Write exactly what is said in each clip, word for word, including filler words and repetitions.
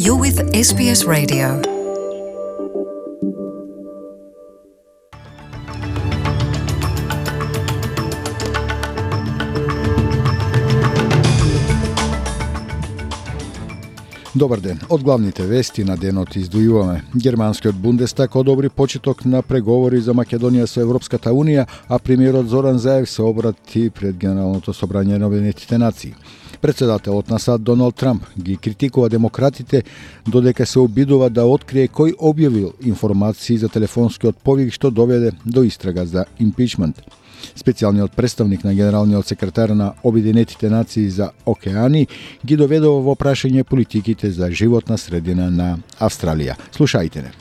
You're with S B S Radio. Добар ден. Од главните вести на денот издвојуваме. Германскиот Бундестаг одобри почеток на преговори за Македонија со Европската Унија, а премиерот Зоран Заев се обрати пред Генералното собрање на Обединетите нации. Председателот на САД Доналд Трамп ги критикува демократите додека се обидува да открие кој објавил информации за телефонскиот повик што доведе до истрага за импичмент. Специјалниот представник на генералниот секретар на Обединетите нации за океани ги доведува во прашање политиките за животна средина на Австралија. Слушајте не.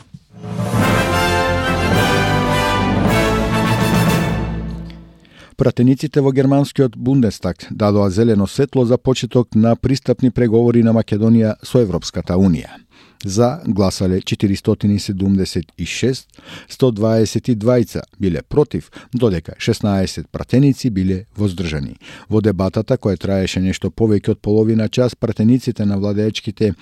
Пратениците во германскиот Бундестаг дадоа зелено светло за почеток на пристапни преговори на Македонија со Европската Унија. За гласале четиристотини седумдесет и шест, сто дваесет и двајца биле против, додека шеснаесет пратеници биле воздржани. Во дебатата, која траеше нешто повеќе од половина час, пратениците на владеечките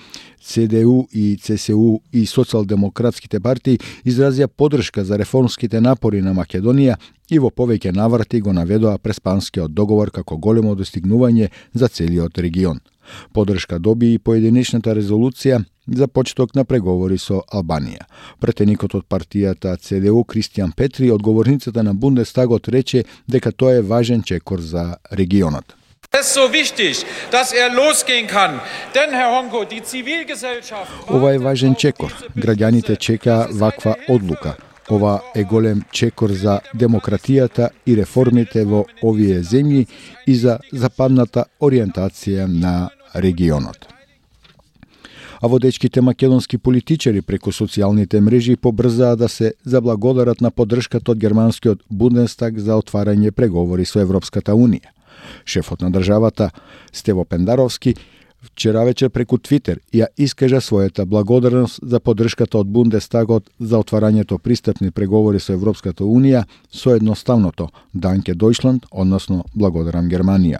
Це Де У и Це Се У и социјалдемократските партии изразија поддршка за реформските напори на Македонија и во повеќе наврати го наведоа преспанскиот договор како големо достигнување за целиот регион. Поддршка доби и поединечната резолуција за почеток на преговори со Албанија. Пратеникот од партијата Це Де У Кристијан Петри од говорницата на Бундестагот рече дека тоа е важен чекор за регионот. Ова е важен чекор. Граѓаните чека ваква одлука. Ова е голем чекор за демократијата и реформите во овие земји и за западната ориентација на регионот. А водечките македонски политичари преку социјалните мрежи побрзаа да се заблагодарат на поддршката од германскиот Бундестаг за отварање преговори со Европската Унија. Шефот на државата Стево Пендаровски вчера вечер преку Твитер ја искажа својата благодарност за поддршката од Бундестагот за отварањето пристапни преговори со Европската Унија со едноставното Данке Дојчланд, односно благодарам Германија.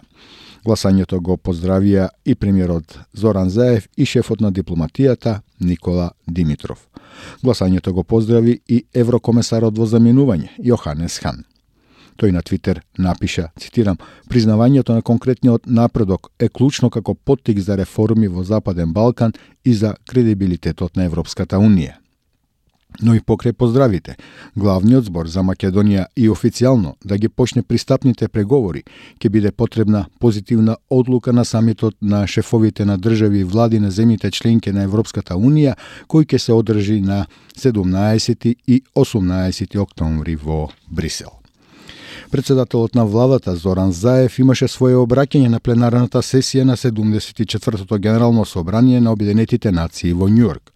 Гласањето го поздравија и премиерот Зоран Заев и шефот на дипломатијата Никола Димитров. Гласањето го поздрави и еврокомесарот во заминување Јоханес Хан. Тој на Твитер напиша, цитирам, признавањето на конкретниот напредок е клучно како поттик за реформи во Западен Балкан и за кредибилитетот на Европската Унија. Но и покрај поздравите, главниот збор за Македонија и официјално да ги почне пристапните преговори ќе биде потребна позитивна одлука на самитот на шефовите на држави и влади на земјите членки на Европската Унија, кој ќе се одржи на седумнаесети и осумнаесети октомври во Брисел. Председателот на владата Зоран Заев имаше своје обраќање на пленарната сесија на седумдесет и четвртото Генерално собрание на Обединетите нации во Њујорк.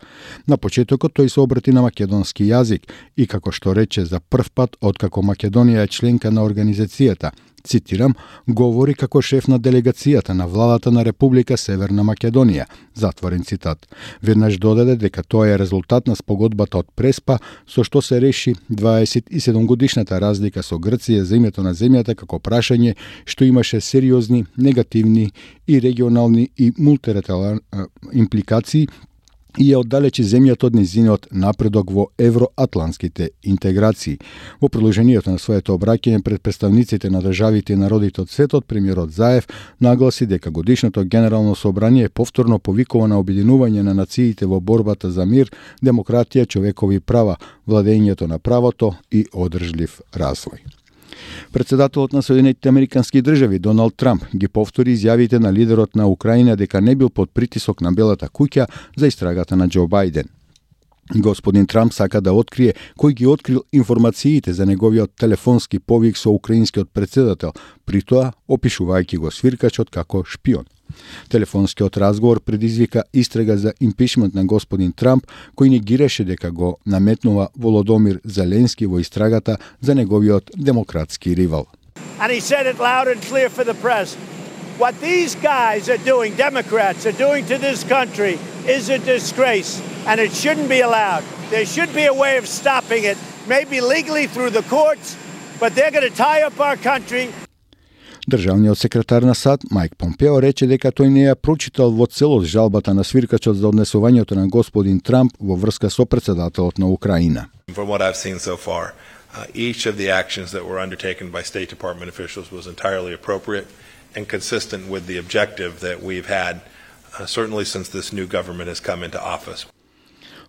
На почетокот тој се обрати на македонски јазик и како што рече за прв пат откако Македонија е членка на организацијата, цитирам, говори како шеф на делегацијата на владата на Република Северна Македонија, затворен цитат. Веднаш додаде дека тоа е резултат на спогодбата од Преспа, со што се реши дваесет и седум годишната разлика со Грција за името на земјата како прашање што имаше сериозни, негативни и регионални и мултилатерални импликации и ја оддалечи земјата од низиниот напредок во евроатлантските интеграции. Во продолжението на своето обраќање пред представниците на државите и народите од светот, премиерот Заев нагласи дека годишното Генерално собрание повторно повикува на обединување на нациите во борбата за мир, демократија, човекови права, владењето на правото и одржлив развој. Председателот на Соединетите Американски држави Доналд Трамп ги повтори изјавите на лидерот на Украина дека не бил под притисок на Белата куќа за истрагата на Џо Бајден. Господин Трамп сака да открие кој ги открил информациите за неговиот телефонски повик со украинскиот председател, при тоа опишувајќи го свиркачот како шпион. Телефонскиот разговор предизвика истрага за импичмент на господин Трамп, кој негираше дека го наметнува Володомир Зеленски во истрагата за неговиот демократски ривал. And he said it loud and clear for the press. What these guys are doing, Democrats are doing to this country is a disgrace, and it shouldn't be allowed. There should be a way of stopping it, maybe legally through the courts, but they're going to tie up our country. Државниот секретар на САД Мајк Помпео рече дека тој не ја прочитал во целост жалбата на свиркачот за однесувањето на господин Трамп во врска со претседателот на Украина. From what I've seen so far, uh, each of the actions that were undertaken by State Department officials was entirely appropriate and consistent with the objective that we've had, uh, certainly since this new government has come into office.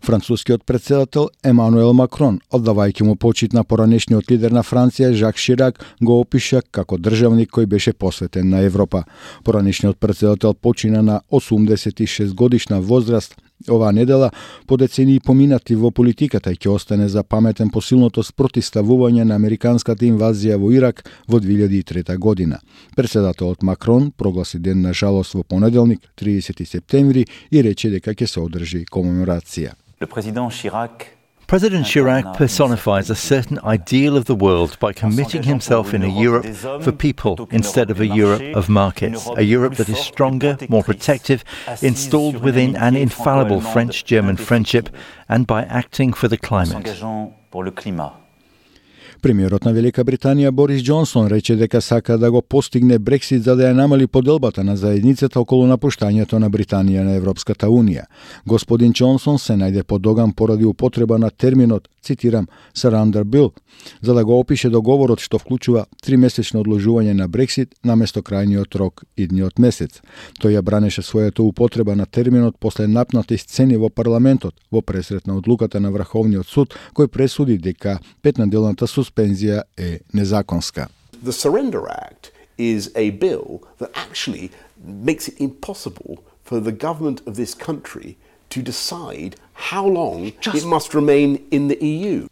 Францускиот претседател Емануел Макрон, оддавајќи му почит на поранешниот лидер на Франција Жак Ширак, го опиша како државник кој беше посветен на Европа. Поранешниот претседател почина на осумдесет и шест годишна возраст. Оваа недела, по децении поминати во политиката, ќе остане запаметен по силното спротивставување на американската инвазија во Ирак во две илјади и трета година. Претседателот Макрон прогласи ден на жалост во понеделник, тридесети септември, и рече дека ќе се одржи комеморација. President Chirac personifies a certain ideal of the world by committing himself in a Europe for people instead of a Europe of markets, a Europe that is stronger, more protective, installed within an infallible French-German friendship, and by acting for the climate. Премиерот на Велика Британија Борис Џонсон рече дека сака да го постигне Брексит за да ја намали поделбата на заедницата околу напуштањето на Британија на Европската Унија. Господин Џонсон се најде подоган поради употреба на терминот, цитирам, surrender bill, за да го опише договорот што вклучува тримесечно одложување на Брексит наместо крајниот рок идниот месец. Тој ја бранеше својата употреба на терминот после напнати сцени во парламентот во пресрет на одлуката на Врховниот суд, кој пресуди дека петнаделната суспензија е незаконска. The Surrender Act is a bill that actually makes it impossible for the government of this country to decide how long Just... it must remain in the E U.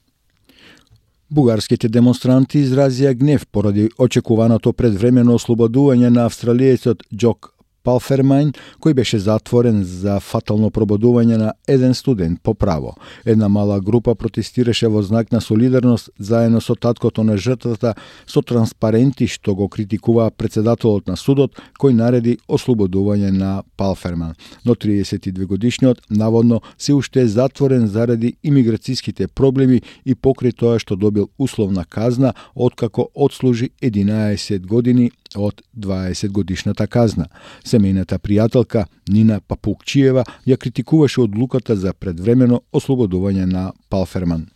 Бугарските демонстранти изразија гнев поради очекуваното предвремено ослободување на австралиецот Џок Палфермајн, кој беше затворен за фатално прободување на еден студент по право. Една мала група протестираше во знак на солидарност заедно со таткото на жртвата со транспаренти што го критикуваа претседателот на судот кој нареди ослободување на Палферман. Но тридесет и две годишниот наводно се уште е затворен заради имиграцијските проблеми и покрај тоа што добил условна казна откако одслужи единаесет години од дваесет годишната казна. Семејната пријателка Нина Папукчиева ја критикуваше одлуката за предвремено ослободување на Палферман.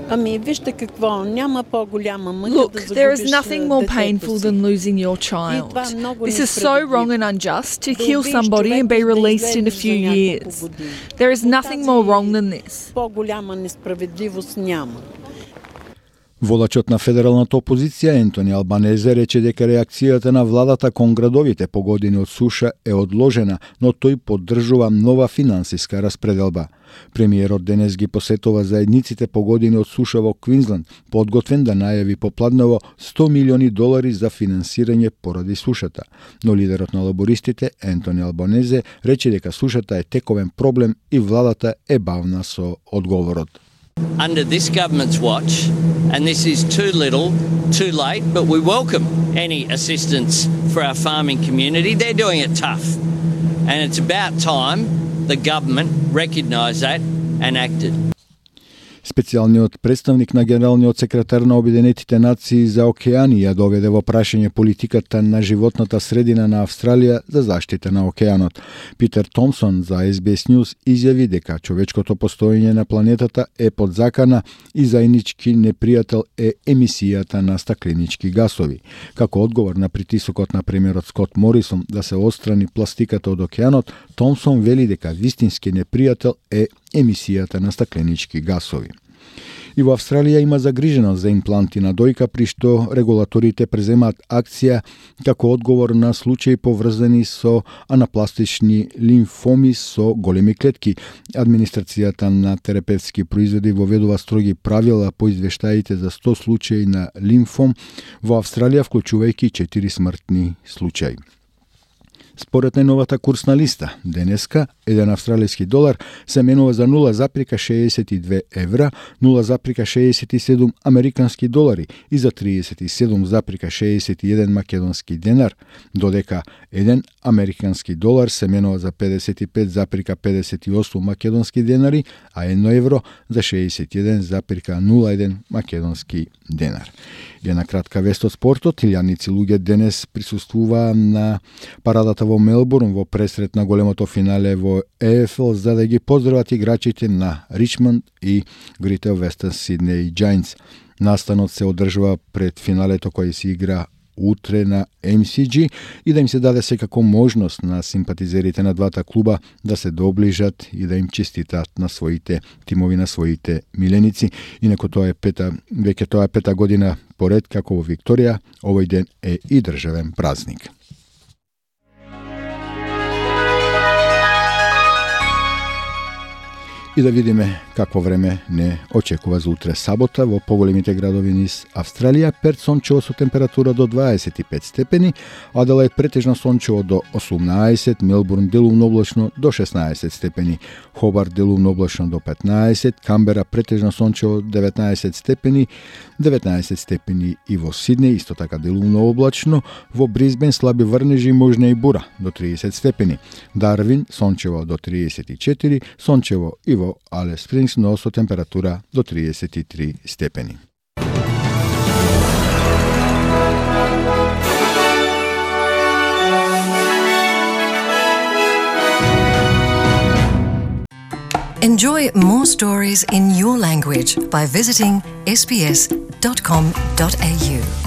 Ами, вижте какво, няма по-голяма мъка. Look, there is nothing more painful than losing your child. This is so wrong and unjust to kill somebody and be released in a few years. There is nothing more wrong than this. По-голяма несправедливост няма. Водачот на федералната опозиција Ентони Албанезе рече дека реакцијата на владата кон градовите погодени од суша е одложена, но тој поддржува нова финансиска распределба. Премиерот денес ги посетува заедниците погодени од суша во Квинсленд, подготвен да најави попладнево сто милиони долари за финансирање поради сушата. Но лидерот на лабористите Ентони Албанезе рече дека сушата е тековен проблем и владата е бавна со одговорот. Under this government's watch, and this is too little, too late, but we welcome any assistance for our farming community. They're doing it tough. And it's about time the government recognised that and acted. Специјалниот представник на генералниот секретар на Обединетите нации за океани ја доведе во прашање политиката на животната средина на Австралија за заштита на океанот. Питер Томсон за Ес Би Ес News изјави дека човечкото постоење на планетата е под закана и заеднички непријател е емисијата на стакленички гасови. Како одговор на притисокот на премиерот Скот Морисон да се отстрани пластиката од океанот, Томсон вели дека вистински непријател е емисијата на стакленички гасови. И во Австралија има загриженост за импланти на дојка, при што регулаторите преземаат акција како одговор на случаи поврзани со анапластични лимфоми со големи клетки. Администрацијата на терапевтски производи воведува строги правила по извештаите за сто случаи на лимфом во Австралија, вклучувајќи четири смртни случаи. Според најновата курсна листа, денеска еден австралиски долар се менува за нула запирка шеесет и две евра, нула запирка шеесет и седум американски долари и за триесет и седум запирка шеесет и еден македонски денар, додека еден американски долар се менува за педесет и пет запирка педесет и осум македонски денари, а едно евро за шеесет и еден запирка нула еден македонски денар. Една кратка вест од спортот. Илјадници луѓе денес присуствуваа на парадата во Мелбурн во пресрет на големото финале во Е Еф Ел за да ги поздрават играчите на Ричмонд и Greater Western Sydney Giants. Настанот се одржува пред финалето кој се игра утре на Ем Си Джи и да им се даде секако можност на симпатизерите на двата клуба да се доближат и да им честитат на своите тимови, на своите миленици. Инако тоа е пета, веќе тоа е пета година поред како во Викторија, овој ден е и државен празник. И да видиме какво време не очекува за утре сабота во поголемите градови низ Австралија. Перт сончево со температура до дваесет и пет степени, Аделаид претежно сончево до осумнаесет, Мелбурн делумно облачно до шеснаесет степени, Хобарт делумно облачно до петнаесет, Камбера претежно сончево деветнаесет степени, деветнаесет степени и во Сиднеј, исто така делумно облачно, во Брисбен слаби врнежи, можна и бура до триесет степени, Дарвин сончево до триесет и четири, сончево и во Алес Спрингс, но со температура до триесет и три степени. Enjoy more stories in your language by visiting s b s dot com dot a u.